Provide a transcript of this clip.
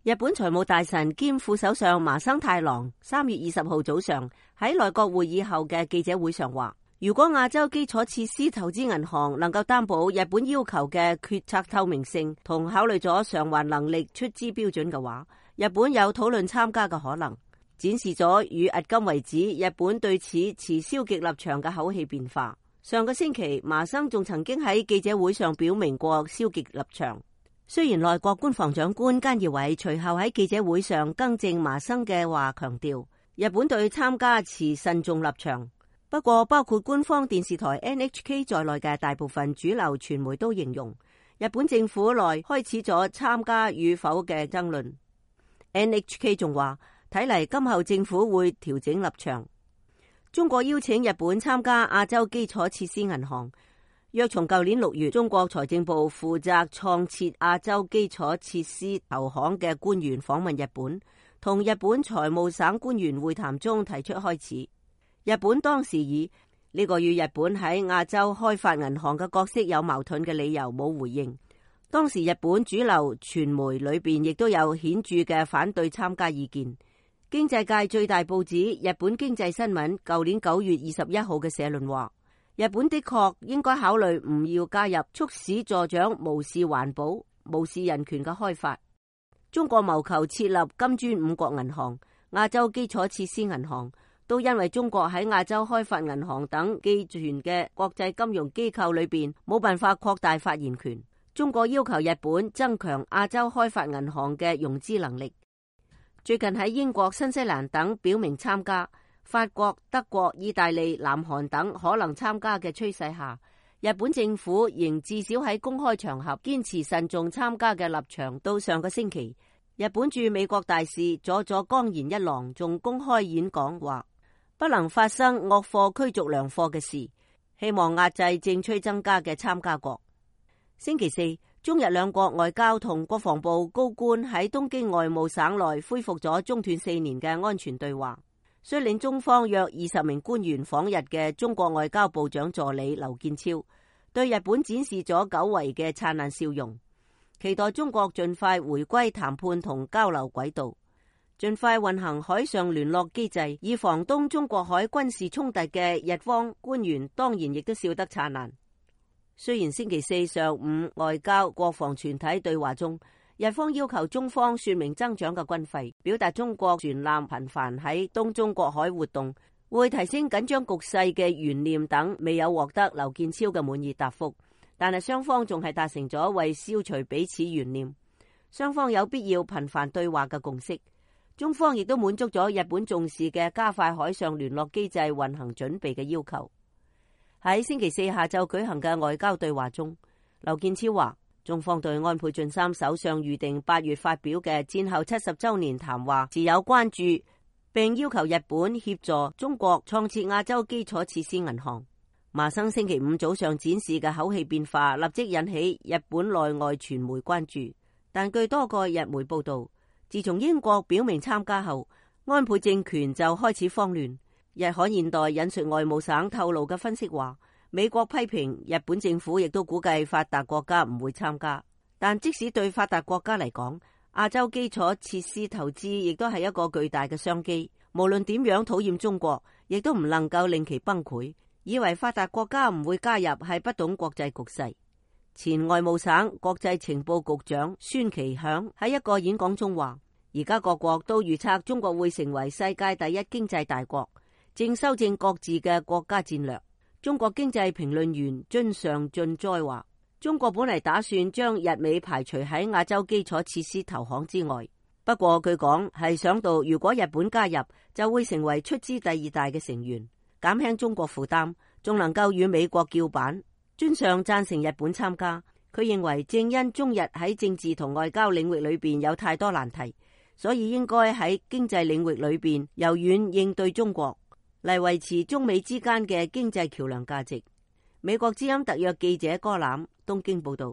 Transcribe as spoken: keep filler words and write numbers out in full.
日本財務大臣兼副首相麻生太郎三月二十號早上喺內閣會議後嘅記者會上話，如果亞洲基礎設施投資銀行能夠擔保日本要求嘅決策透明性同考慮咗償還能力出資標準嘅話，日本有討論參加嘅可能，展示咗與迄今為止日本對此持消極立場嘅口氣變化。上個星期，麻生仲曾經喺記者會上表明過消極立場。雖然內閣官房長官菅義偉隨後喺記者會上更正麻生嘅話，強調日本對參加持慎重立場。不過，包括官方電視台 N H K 在內嘅大部分主流傳媒都形容，日本政府內開始咗參加與否嘅爭論。N H K 仲話，睇嚟今後政府會調整立場。中國邀請日本參加亞洲基礎設施銀行，約從舊年六月，中國財政部負責創設亞洲基礎設施投行嘅官員訪問日本，同日本財務省官員會談中提出開始。日本當時以呢個與日本喺亞洲開發銀行嘅角色有矛盾嘅理由冇回應。當時日本主流傳媒裏邊亦都有顯著嘅反對參加意見。經濟界最大報紙《日本經濟新聞》舊年九月二十一號嘅社論話，日本的確應該考慮唔要加入促使助長無視環保、無視人權嘅開發。中國謀求設立金磚五國銀行、亞洲基礎設施銀行，都因為中國喺亞洲開發銀行等寄存嘅國際金融機構裏邊冇辦法擴大發言權。中國要求日本增強亞洲開發銀行嘅融資能力。最近喺英國、新西蘭等表明參加，法國、德國、意大利、南韓等可能參加嘅趨勢下，日本政府仍至少喺公開場合堅持慎重參加嘅立場。到上個星期，日本駐美國大使佐佐岡賢一郎仲公開演講話，不能發生惡貨驅逐良貨嘅事，希望壓制正趨增加嘅參加國。星期四，中日兩國外交同國防部高官喺東京外務省內恢復咗中斷四年嘅安全對話。率領中方約二十名官員訪日嘅中國外交部長助理劉建超對日本展示咗久違嘅燦爛笑容，期待中國盡快回歸談判同交流軌道，盡快運行海上聯絡機制，以防東中國海軍事衝突嘅日方官員當然亦都笑得燦爛。雖然星期四上午外交國防全體對話中，日方要求中方說明增長嘅軍費，表達中國船艦頻繁喺東中國海活動會提升緊張局勢嘅懸念等，未有獲得劉建超嘅滿意答覆。但係雙方仲係達成咗為消除彼此懸念，雙方有必要頻繁對話嘅共識。中方亦都滿足咗日本重視嘅加快海上聯絡機制運行準備嘅要求。喺星期四下晝舉行嘅外交對話中，劉建超話，中方對安倍晉三首相預定八月發表嘅戰後七十周年談話持有關注，並要求日本協助中國創設亞洲基礎設施銀行。麻生星期五早上展示嘅口氣變化立即引起日本內外傳媒關注，但據多個日媒報道，自從英國表明參加後，安倍政權就開始慌亂。日刊現代引述外務省透露嘅分析話，美國批評日本政府亦都估計發達國家唔會參加，但即使對發達國家嚟講，亞洲基礎設施投資亦都係一個巨大嘅商機。無論點樣討厭中國，亦都唔能夠令其崩潰。以為發達國家唔會加入係不懂國際局勢。前外務省國際情報局長孫其響喺一個演講中話，而家各國都預測中國會成為世界第一經濟大國，正修正各自嘅國家戰略。中國經濟評論員津上進哉話，中國本嚟打算將日美排除喺亞洲基礎設施投行之外，不過佢講係想到如果日本加入，就會成為出資第二大嘅成員，減輕中國負擔，仲能夠與美國叫板。津上贊成日本參加，佢認為正因中日喺政治同外交領域裏邊有太多難題，所以應該喺經濟領域裏邊柔軟應對中國，嚟維持中美之間嘅經濟橋樑價值。美國之音特約記者柯欖東京報道。